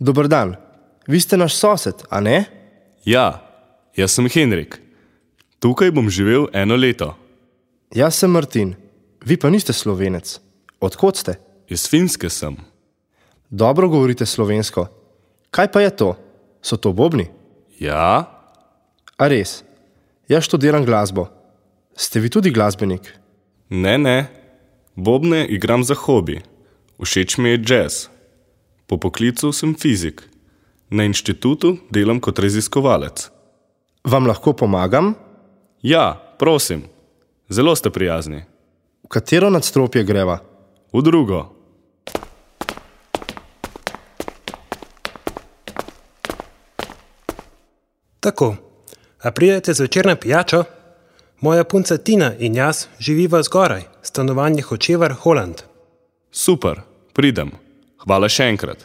Dober dan. Vi ste naš sosed, a ne? Ja, jaz sem Henrik. Tukaj bom živel 1 leto. Jaz sem Martin. Vi pa niste Slovenec. Odkot ste? Iz Finske sem. Dobro govorite slovensko. Kaj pa je to? So to bobni? Ja? A res? Jaz študiram glasbo. Ste vi tudi glasbenik? Ne. Bobne igram za hobi. Všeč mi je jazz. Po poklicu sem fizik. Na inštitutu delam kot raziskovalec. Vam lahko pomagam? Ja, prosim. Zelo ste prijazni. V katero nadstropje greva? V drugo. Tako, a pridete zvečer na pijačo? Moja punca Tina in jaz živiva zgoraj, stanovanje Hočevar, Holland. Super, pridem. Hvala še enkrat.